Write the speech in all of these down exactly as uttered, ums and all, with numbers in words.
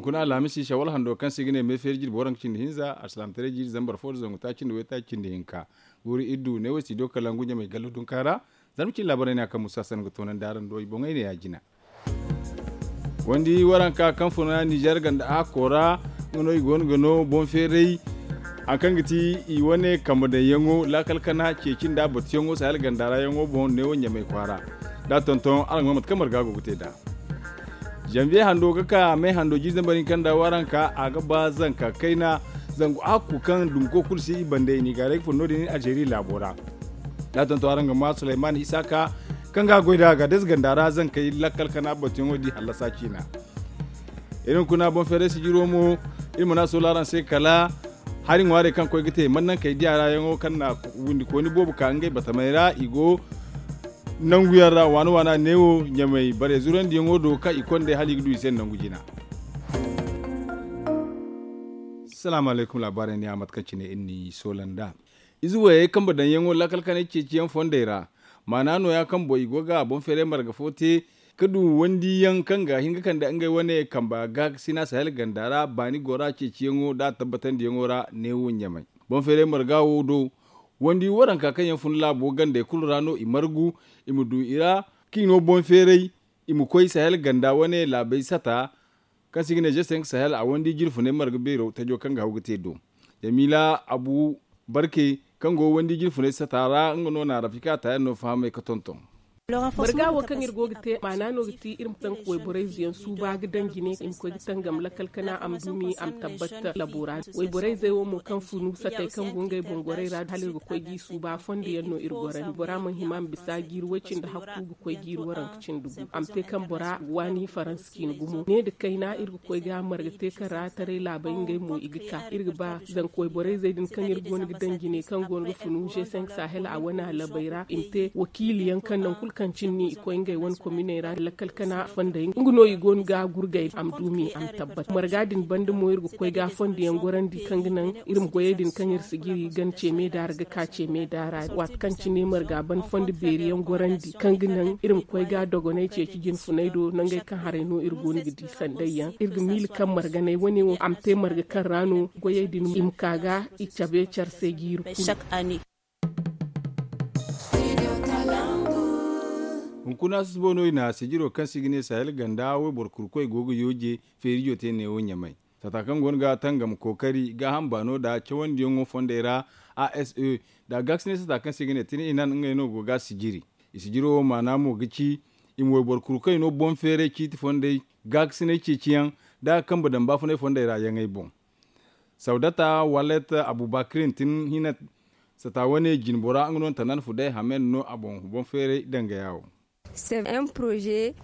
Kuna alhamisi shawal hando kaŋ se i ga ne meefeeri jirbi waranka cindi hinza alsilaamataray jiiri zambar fo nda zangu taaci nda waytaaci cindi hinka. Guuru iddu ne wo si do kala ngu ɲamay gallo dunka ra. Zarma cine laabaray no ya kaŋ musa sanni ga toonandi araŋ do i boŋey ne ya jina. Wandi waranka kaŋ funa nizer ganda hakko ra, nga no i go no ga no boŋ feeray. Hari kaŋ ga ti i wane kambe daŋyaŋo laakal kana ceeci nda batuyaŋo sahel ganda ra yaŋo boŋ neewo ɲamay kwaara. Da a tonton araŋ go no mate kaŋ marga go ga te nd'a. Zanbiye hando ga ka me hando jiiri zambar hinka nda waranka a ga ba zanka kayna. Zangu hakku kaŋ dumko kulu si i bande i n'i gaaray ga fun no- din alzeeri laabo ra. Da a tonton araŋ ga ma sulayman isaaka kaŋ ga a goy nd'a ga deeze ganda ra zankey lakkal kana batuyaŋo di hallasa ciina. Iri hunkuna boŋ feeray sijiro mo iri mana soola araŋ se kala hari ŋwaarey kaŋ koy ga te man naŋ kay diya ra yaŋo kaŋ na windi kooni boobo ka ngey batamey ra i go nangu yaŋ ra waana waana neewo ɲamay bare zurandiyaŋo do kaŋ i konde hala i ga du i se nangu jina. Salaamu alaykum laabaarey ne a mate kaŋ cine iri n'i soola nd'a. Ize wayey kambe daŋyaŋo laakal kanay ceeciyaŋ fondey ra maana nooya kaŋ boŋ i go ga boŋ feeray marga fo te ka du wandiyaŋ kaŋ ga hin ga kande ngey wane kamba gaakasina sahel ganda ra baani gora ceeciyaŋo da a tabbatandiyaŋo ra neewo ɲamay. Boŋ feeray marga wo do wandi waranka kaŋ yaŋ fun laabo gandey kulu ra no i margu i ma du i ra kaŋ i no boŋ feeray i ma koy sahel ganda wane laabey sata kaŋ se i ga ne jesenk sahel a wandi jirfunay marga beero tajo kaŋ ga haw ga te do. Yamiila abu barke kaŋ go wandi jirfunay sata ra nga no na rafika ta yaŋ no fahamay ga tonton. Marga wo kaŋ iri go ga te maana no ga ti iri ma tanka wayborayze yaŋ suuba ga daŋ jine i ma koy ga tangam lakkal kana a ma dumi a ma tabbat labo ra. Wayborayzey wo mo kaŋ funu satey kaŋ go ngey boŋ gorey ra hala iri ga koy g'i suuba fondo yaŋ no iri gorandi bora mana hima ma bisa jiiri way cindi hakku ga koy jiiri waranka cindi gu a ma te kaŋ bora waani faransa ciine gumo ne nda kayna iri ga koy ga marga te kaŋ ra taray laabey ngey mo i ga ka iri ga ba zanka wayborayzey din kaŋ iri go no ga daŋ jine kaŋ go no ga funu g cinq sahel a wane alabey ra i ma te wakiili yaŋ kaŋ naŋ kulu kaŋ cine i koy ngey wane kominey ra lakkal kana fondey nga no i go no ga gurgay a ma duumi a ma tabbat marga din banda mo iri ga koy ga fondo yaŋ gorandi kaŋ ga naŋ iri ma goyey din kaŋ iri si jiri gana ce meeda ra ga ka ce meeda ra waati kaŋ cine marga ban fondo beeri yaŋ gorandi kaŋ ga naŋ iri ma koy ga dogonay ceeci jinfunay do nangey kaŋ haray no iri go no ga di sanday yaŋ iri ga miila kaŋ marganay wane wo a ma te marga kaŋ ra no goyey din i ma ka ga i cabe care se jiiri kulu. Hunkuna susubo no i na sijiro kaŋ se i ga ne sahel ganda wayboro kurkoy go ga yooje feerijo te neewo ɲamay. Sata kaŋ go no ga tangam kookari gaaham baano nda cawandiyaŋo fondey ra a s e nda gaakasinay sata kaŋ se i ga ne tine i nan ngey no go ga sijiri. I sijiro wo maana mo ga ci i ma wayboro kurkoy no boŋ feeray ciiti fondey gaakasinay ceeciyaŋ nda kambe daŋ baafunay fondey ra yaŋey boŋ. Sawdata wallet abubakirin tin hina sata wane jinbora nga no tanan fuday hamen no a boŋ boŋ feeray dangaya wo.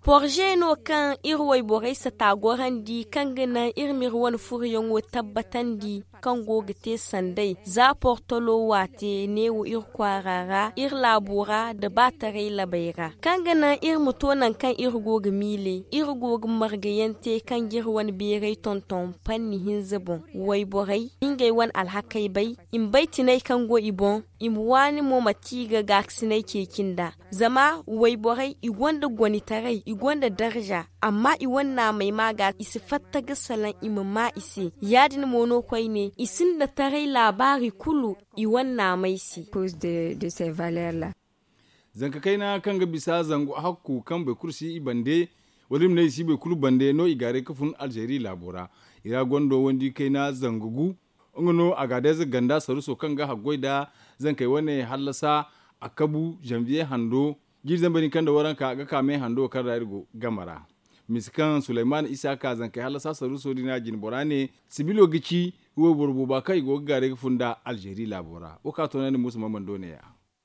Porze no kaŋ iri wayborey sata gorandi kaŋ ga naŋ iri ma iri wane furoyaŋo tabbatandi kaŋ go ga te sanday za portolo waate neewo iri kwaara ra iri laabo ra nda baataray labey ra kaŋ ga naŋ iri ma to naŋ kaŋ iri go ga miiley iri go ga margayaŋ te kaŋ ga iri wane beeray tonton panni hinza boŋ wayborey ngey wane alhakey bay i ma bay tinay kaŋ go i boŋ i ma waani mo manti i ga gaakasinay ceeci nd'a zama wayborey i gonda gonitaray i gonda darza amma i wane naamey ma ga i si fatta ga salaŋ i ma ma i se ya-din mo no koyne i sinda taray laabaari kulu i wane naamey se. Zanka kayna kaŋ ga bisa zangu hakku kaŋ boro kulu si i bande wala i ma ne i si boro kulu bande no i gaaray ga fun alzeeri laabo ra i ra gonda wandi kayna zangu gu nga no agadeeze ganda saruso kaŋ ga haggoy nda zankey wane hallasa a kabu zanbiye hando jiiri zambar hinka nda waranka ga ka me hando kaŋ ra iri go game ra. Misa kaŋ sulayman isa ka zankey hallasa saruso din a jinbora ne sibilo ga ci wayboro booba kaŋ i go ga gaaray ga fun nda alzeeri laabo ra wo ka toonandi musa mamando neeya.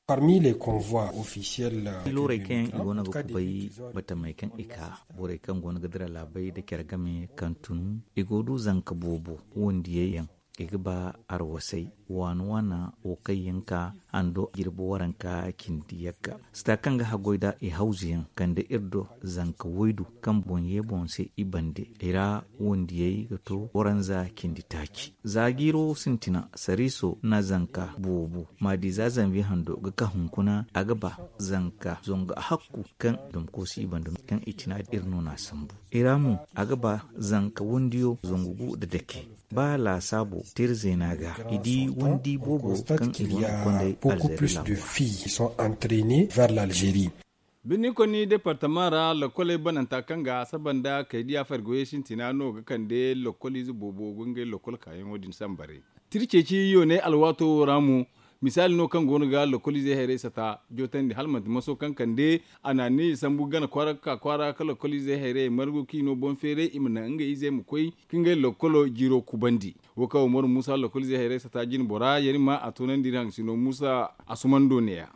Parmi les convois officiels. Loorey kaŋ yaŋ i go no ga kubay batamey kaŋ i ka borey kaŋ go no ga dira laabey nda care game kaŋ tun i go du zanka boobo wondiyey yaŋ. I ga ba arwasay waana waana wo kaŋ yaŋ ka hando jirbi waranka cindi yagga sita kaŋ ga haggoy da i hawzu yaŋ kande iri do zanka waydu kaŋ boŋ ye boŋ se i bande i ra wandiyey ga to waranza cindi taaci. Za jiiro sintina sariiso na zanka boobo maadi za zanbi hando ga ka hunkuna a ga ba zanka zangu hakku kaŋ dum koosi i bande kaŋ i tina iri no na sambu i ra mo a ga ba zanka wandiyo zangu gu nda dake ba laasaabo teera zeena ga i di wandi boobo kaŋ i go no ga konday alzeeri laabo ra. Birni konni departama ra lakoley bananta kaŋ ga a saba nda kaydiya fargoyey sintina no ga kande lakoliize boobo go ngey lakol kaayaŋo din sambarey. Tira ceeci yoonay alwaato wo ra mo misaali no kaŋ go no ga lakoliizey hayrey sata jootandi hala manti maso kaŋ kande a na ni sambu gana kwaara ga ka kwaara ka lakoliizey hayrey margu kaŋ i no boŋ feeray i ma naŋ ngey izey ma koy ka ngey lakolo jiiro kubandi. Wo kaŋ umaru muusa lakoliizey hayrey sata jine bora yarima a toonandi iri haŋ sino muusa a sumando neeya.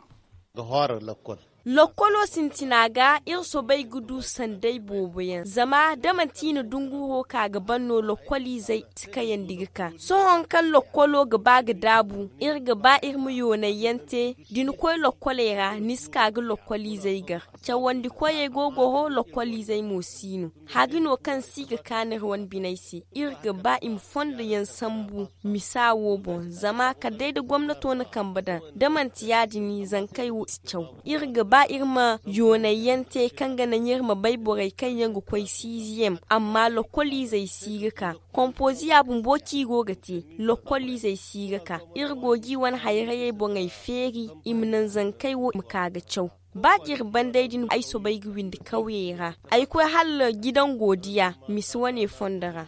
Lokkolo sintina ga iri soobay ga du sanday boobo yaŋ zama da manti i na dunguro ka ga ban no lokkoliizey si kayandi ga ka sohõ kaŋ lokkolo ga ba ga daabu iri ga ba iri ma yoonay yaŋ te da ni koy lokkoley ra ni si ka ga lokkoliizey gar cawandi koyey go goro lokkoliizey mo si no hari no kaŋ si ga kaanu iri wane biney se iri ga ba i ma fondo yaŋ sambu misa wo boŋ zama kala day da gomnato na kambe daŋ da manti ya- din zankey wo si caw iri ga ba iri ma yoonay yaŋ te kaŋ ga naŋ iri ma bay borey kaŋ yaŋ ga koy siiziyem amma lokoliizey si ga ka kompoziya bumbo kaŋ i go ga te lokoliizey si ga ka iri go ga i wane hayrayey boŋey feeri i ma naŋ zankey wo i ma ka ga caw ba da iri ban day din ay soobay ga windi kawyey ra ay koy hala jidango diya misi wane fondo ra.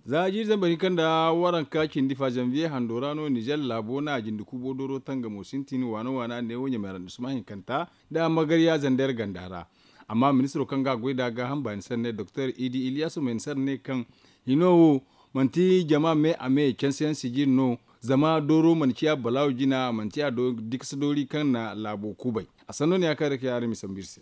Za jiiri zambar hinka nda waranka cindi fa zanviye hando ra no nizer laabo na jindi kuubo dooro tangamo sintin waana waana neewo ɲamay ra nda suma hinkanta nda magarya zander ganda ra. Amma ministiro kaŋ ga a goy nd'a gaaham baani sanne doktor idi iliyasu may ni sara ne kaŋ hino wo manti jama me a me canse yaŋ sijiri no. Zama dooro mana ciya balaawo jina manti a do dikasa doori kaŋ na laabo kubay. A sanno ne ya kaŋ ra ka yaara misa mba iri se.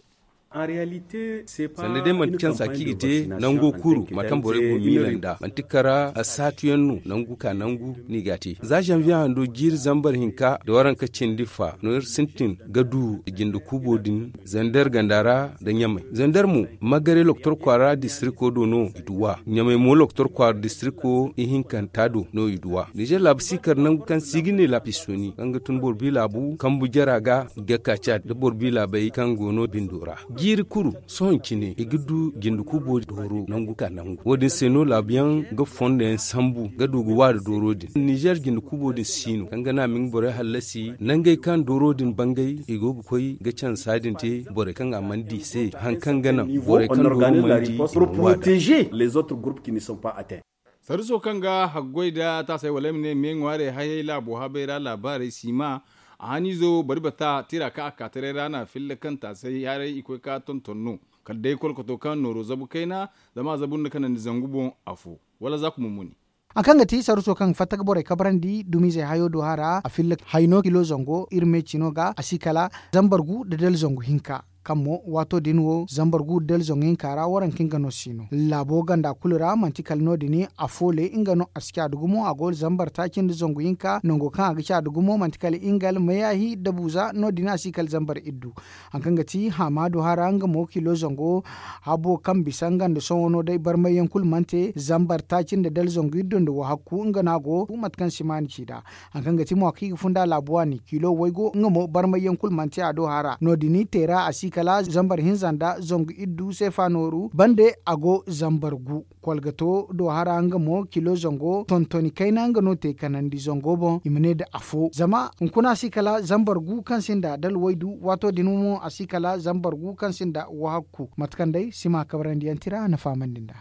Sanda day manti kaŋ za kaŋ i ga te nango kuru mate kaŋ borey go miila nd'a manti kara saatuyaŋ no nangu ka nangu no i ga a te za zanviye hando jiiri zambar hinka nda waranka cindi fa no iri sintin ga du jinde kuubo din zander ganda ra nda ɲamay zander mo magare loktor kwaara distriko do no i duw'a ɲamay mo loktor kwaara distriko ihinkanta do no i duw'a nizer laabu si kar nangu kaŋ si ga ne laabu isooni kaŋ ga tun boro bi laabu kambu jara ga ga kaaca nda boro bi laabey kaŋ go no bindo ra jiiri kulu sohõ cine i ga du jinde kuubo dooro nangu ka nangu wo- din se no laabuyaŋ ga fondo yaŋ sambu ga du ga waari dooro din nizer jinde kuubo din si no kaŋ ga naŋ a ma nga borey hallasi nangey kaŋ dooro din bangay i go ga koy ga cansa din te borey kaŋ a mana di i se hari kaŋ ga naŋ borey kaŋ dooro mana di i mana waada. Les autres groupes qui ne sont pas atteints. Saruso kaŋ ga haggoy nda taasay wala ay ma ne me ŋwaarey hayey laabo habey ra laabaarey si ma a haniizo bari bata tira kaŋ a ka taray ra no a filla kaŋ taasay haray i koy ka tonton no kala day kolkoto kaŋ nooro zabu kayna zama a zabu nda kanandi zangu boŋ afo wala za kuma muni. Hari kaŋ ga ti saruso kaŋ ga fatta ga borey kabrandi dumiizey hayo do hara a filla hayno kilo zango iri me cino ga a si kala zambar gu nda dala zangu hinka. Kaŋ mo waato din wo zambar gu nda dala zangu hinka ra waranka nga no si no laabo ganda kulu ra manti kala no- din afo le nga no a si caadu gumo a go zambar taaci nda zangu hinka nango kaŋ a ga caadu gumo manti kala ingal mayaahi nda buuza no- din a si kala zambar iddu. Hari kaŋ ga ti haamaado hara nga mo kilo zango habo kaŋ bisa nga nda sohõ no day barmayyaŋ kulu mana te zambar taaci nda dala zangu iddu nda wahakku nga no a go mate kaŋ simaani ci nd'a. Hari kaŋ ga ti mo kaŋ i ga funda laabu waani kilo waygo nga mo barmayyaŋ kulu manti a do hara no- din teera a si kala zambar hinza nda zangu iddu seefa nooru bande a go zambar gu. Kolgato do hara nga mo kilo zango tontoni kayna nga no te kanandi zango boŋ i ma ne nda afo zama hunkuna si kala zambar gu kaŋ sinda dalwaydu waato din mo a si kala zambar gu kaŋ sinda wahakku mate kaŋ day sima kabrandi yaŋ tira na fahamandi nd'a.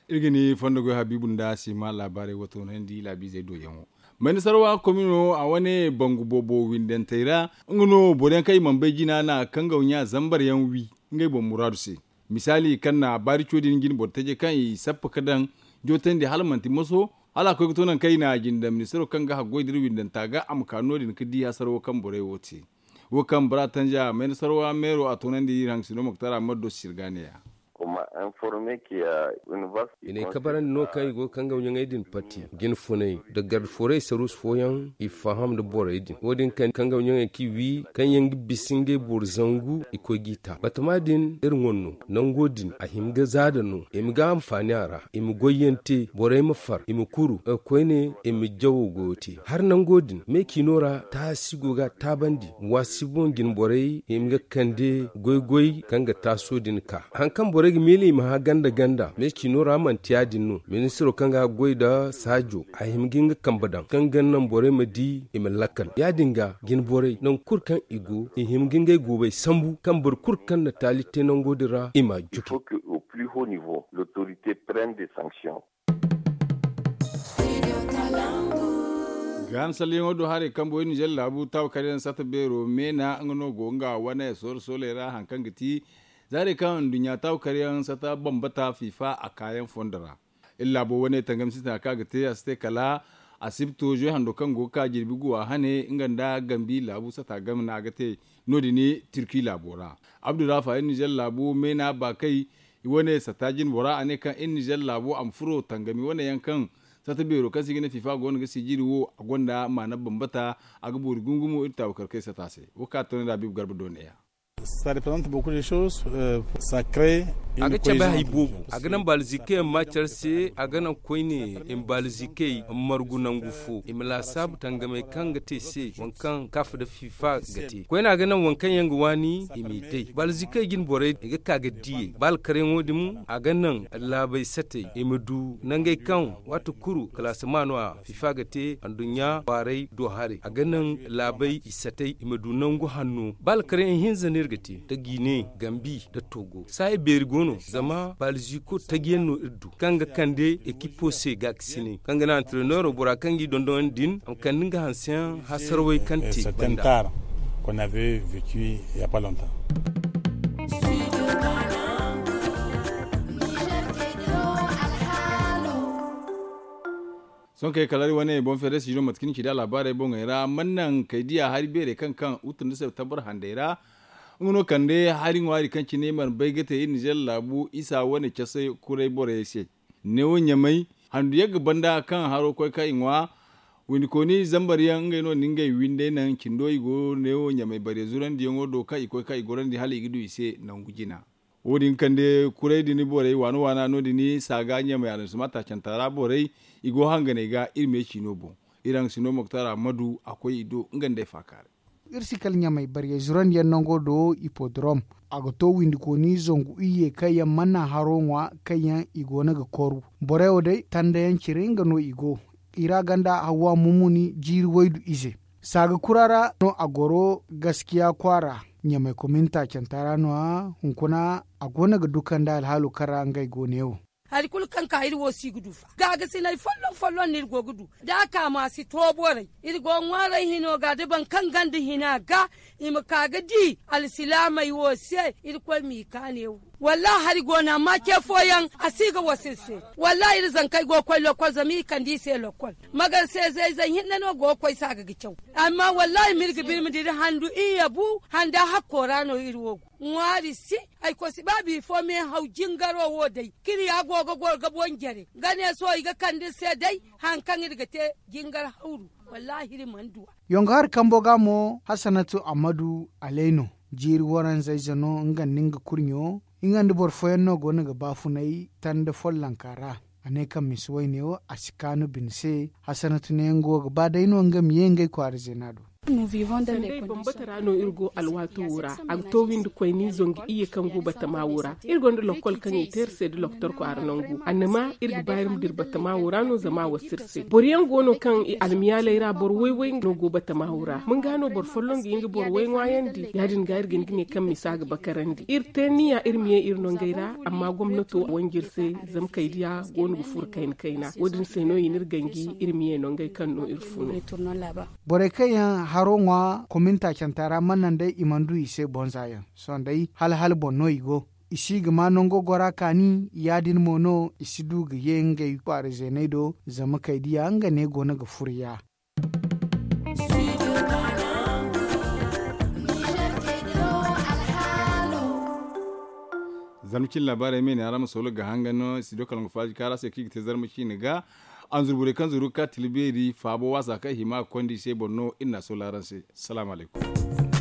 Iri ga ni fondo goy habiibu nda sima laabaarey wo toonandi laabiizey do yaŋo. Mayna sarwa komino a wane bangu boobo windantey ra nga no boro yaŋ kaŋ i mana bay jina na kaŋ ga ɲa zambar yaŋ wi ngey boŋ muraadu se. Misaali kaŋ na baari co din jine boro taje kaŋ i sappa ka daŋ jootandi hala manti moso hala a koy ga to nangu kaŋ i na a jinde ministaro kaŋ ga haggoy da iri windanta ga a ma ka no- din ga di hasaro kaŋ borey wo te. Wo kaŋ bora tanja mayna sarwa meero a toonandi iri haŋ sino moktar a ma do sirga neeya. I n'ay kabarandi no kaŋ i go ga kangawɲaŋey din pati, jine funay nda garde forey saruus fooyaŋ i faham nda borey din. Wo- din kaŋ kangawɲaŋey kaŋ i wi kaŋ yaŋ ga bisa ngey boro zangu i koy g'i ta batama din iri ŋwa no. Nango din a hima ga zaada no i ma ga anfaani a ra, i ma goyyaŋ te, borey ma far, i ma kuru. Koyne i ma jawo goyo te. Hari nango din me ciino ra taasi go ga a taabandi. Waasi boŋ jine borey i ma ga kande goy-goy kaŋ ga taaso din ka hari kaŋ borey ga miila i ma hã ganda-ganda me ciino ra manti ya- din no. Ministiro kaŋ ga goy nda saajo a hima ga nga kambe daŋ kaŋ ga naŋ borey ma di i ma lakkal ya- din ga jine borey nangu kulu kaŋ i go i hima ga ngey goobey sambu kaŋ boro kulu kaŋ na taali te nango din ra i m'a juke. Gaaham salliyaŋo do haray kaŋ boy nizer laabu taabu karyaŋ sata beero meena nga no go nga wane sooro sooley ra hari kaŋ ga ti zaarey kaŋ nduɲɲa taabu karyaŋ sata bambata fiifa a kaayaŋ fondo ra. Iri laabo wane tangam sintina kaŋ a ga te a si te kala asibto zoy hando kaŋ go ga ka jirbi guwa hane nga nda gambi laabu sata game no a ga te no- din turki laabo ra. Abdurrafa iri nizer laabo meena baakay i wane sata jine bora a ne kaŋ iri nizer laabo a ma furo tangami wane yaŋ kaŋ sata beero kaŋ se i ga ne fiifa go no ga sijiri wo a gonda maana bambata. A ga boori gungumo iri taabu karkey sata se wo kaŋ a toonandi habiibu garba do neeya. A ga cabe hari boobo a ga naŋ baalzikey ma care se a ga naŋ koyne i ma baalzikey margu nangu fo i ma laasaabu tangamey kaŋ ga te se waŋ kaŋ kaf nda fiifa ga te koyne a ga naŋ waŋ kaŋ yaŋ ga waani i m'i day baalzikey jine borey i ga ka ga diyey ba alkaryaŋo din a ga naŋ laabey satey i ma du nangey kaŋ waati kulu kalaasama no a fiifa ga te anduɲɲa kwaaray do haray a ga naŋ laabey i satey i ma du nangu hanno ba alkaryaŋ ihinza no iri ga te nda jiine gambi nda togo saayi beeri go no zama baalziko taji yaŋ no iri du kaŋ ga kande ekipo se gaakasinay kaŋ ga naŋ antireneero bora kaŋ g'i dondonandi din a ma kande nga hanseyaŋ hasarawey kaŋ te banda. Sohõ kay kala iri wane boŋ feere si no mate kaŋ ni ci da alaabaarey boŋey ra mana naŋ kay diya hari beerey kaŋ kaŋ utu nda septembar handey ra. Nga no kande hari ŋwaari kaŋ cine mana bay ga te iri nizer laabu isa wane casay kuray borey se. Neewo ɲamay handu yagga banda kaŋ haro koy kaŋ i ŋwa windikooni zambar yaŋ ngey no na ngey windey naŋ cindo i go neewo ɲamay bare zurandiyaŋo do kaŋ i koy kaŋ i gorandi hala i ga du i se nangu jina. Wo- din kande kuray din borey waana waana no- din saaga ɲamay aranzuma taacanta ra borey i go hanganey ga iri me ciino boŋ. Iri haŋ si no moktar ahmadu a koy i do nga nd'ey faakaaray. Iri si kala ɲamay baryey zurandiyaŋ nango do ipodrom a ga to windikooni zangu iyye kaŋ yaŋ mana haro ŋwa kaŋ yaŋ i go no ga koru. Borey wo day tandayaŋ cire nga no i go i ra ganda hawwa mumuni jiiri waydu ize. Saaga kura ra no a goro gaskiya kwaara ɲamay komin taacanta ra no- ya hunkuna a go no ga dukandi alhaalo kaŋ ra ngey go ne wo. Hari kulu kaŋ ka iri wo si ga du fa gaagasinay folloŋ folloŋ no iri go ga du da a ka ma si to borey iri go ga ŋwaaray hino ga da boro kaŋ ganda hina ga i ma ka ga di alsilaamey wo se irkoy m'i kaane wo. Wallahi hari go no amma ce fooyaŋ a si ga wasa iri se. Wallahi iri zankey go ga koy lokkol zama i kande i se lokkol. Magar se zay zay hinne no go ga koy saaga ga caw. Amma wallahi ma iri ga birma da iri handu iyye bu handa hakko ra no iri wo go ŋwaari si. Ay koy si ba bifo me haw jingaro wo day kiri ya go ga goro ga boŋ jare ga ne sohõ i ga kande iri se day. Hari kaŋ iri ga te jingar hawru wallahi iri mana du a. Yongo hari kambo ga mo hasanatu ammadu alay no. Jiiri waranza ize no nga nda nga kurɲo nga nda boro fooyaŋ no go no ga baafunay tanda follonka ra. A ne kaŋ misi wayne wo a si kaanu bine se. Hasanatu ne nga wo ga ba day no nga ma ye ngey kwaara zeena do. Sanday bambata ra no iri go alwaato wo ra a ga to windi koyni zangu iyye kaŋ go batama wo ra. Iri gonda lokkol kaŋ i te iri se da loktor kwaara nangu annama iri ga ba iri ma dira batama wo ra no zama a wasa iri se. Boroyaŋ go no kaŋ i almiyaaley ra boro way-way no go batama wo ra ma nga no boro folloŋ ga hin ga boro way ŋwaayandi ya- din ga iri ga hin ga ne kaŋ misa ga bakarandi iri te niya iri ma ye iri nongey ra. Amma gomnato a wanji iri se zama kaydiya go no ga furo kayna kayna wo- din se no i na iri ganji iri ma ye nongey kaŋ no iri fun. Borey kaŋ yaŋ haro ŋwa komin taacanta ra mana nda i mana du i se bonza yaŋ sohõ day hala hala boŋ no i go. I si ga ma nango gora kaani ya- din mo no i si du ga ye ngey kwaara zeeney do. Zama kaydiya nga ne go no ga furo ya. Zarma ciine laabaarey me ne araŋ ma soolo ga hangan no studio kalangu faaji kaara se kaŋ i ga te zarma ciine ga. Anzurburey kaŋ zuru ga ka tila beeri faabo waasa kaŋ hima ga konda i se boro no iri na a soolo araŋ se. Salaamu alaykum.